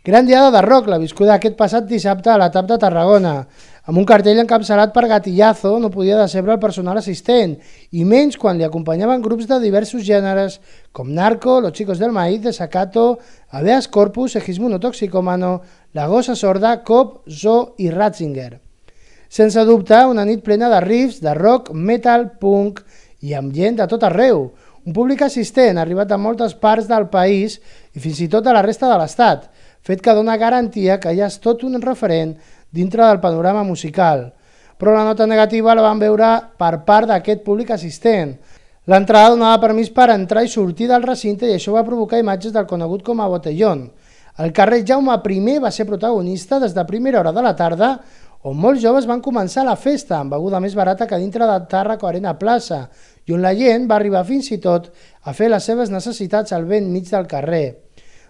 Gran diada de rock, la viscuda aquest passat dissabte a la TAP de Tarragona. Amb un cartell encapçalat per Gatillazo no podia decebre el personal assistent, i menys quan li acompanyaven grups de diversos gèneres com Narco, Los Chicos del Maíz, Desacato, Habeas Corpus, Segismundo Toxicómano, La Gossa Sorda, Cop, Zoo i Ratzinger. Sense dubte, una nit plena de riffs, de rock, metal, punk i amb gent de tot arreu. Un públic assistent arribat a moltes parts del país i fins i tot a la resta de l'Estat, fet que dona garantia que ja és tot un referent dintre del panorama musical. Però la nota negativa la vam veure per part d'aquest públic assistent. L'entrada donava permís per entrar i sortir del recinte i això va provocar imatges del conegut com a Botellón. El carrer Jaume I va ser protagonista des de primera hora de la tarda, on molts joves van començar la festa amb beguda més barata que dintre de Tàrraco Arena Plaça i on la gent va arribar fins i tot a fer les seves necessitats al vent mig del carrer.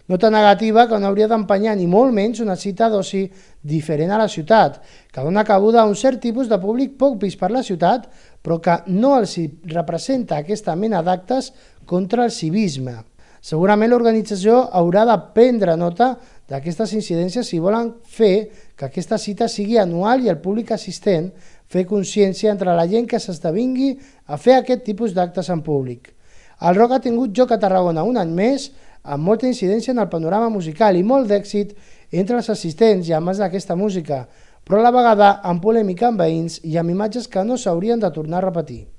Nota negativa que no hauria d'empenyar ni molt menys una cita d'oci diferent a la ciutat, que dona cabuda a un cert tipus de públic poc vist per la ciutat, però que no els representa aquesta mena d'actes contra el civisme. Segurament l'organització haurà de prendre nota d'aquestes incidències si volen fer que aquesta cita sigui anual i el públic assistent fer consciència entre la gent que s'esdevingui a fer aquest tipus d'actes en públic. El rock ha tingut lloc a Tarragona un any més, amb molta incidència en el panorama musical i molt d'èxit entre els assistents i amants d'aquesta música, però a la vegada amb polèmica amb veïns i amb imatges que no s'haurien de tornar a repetir.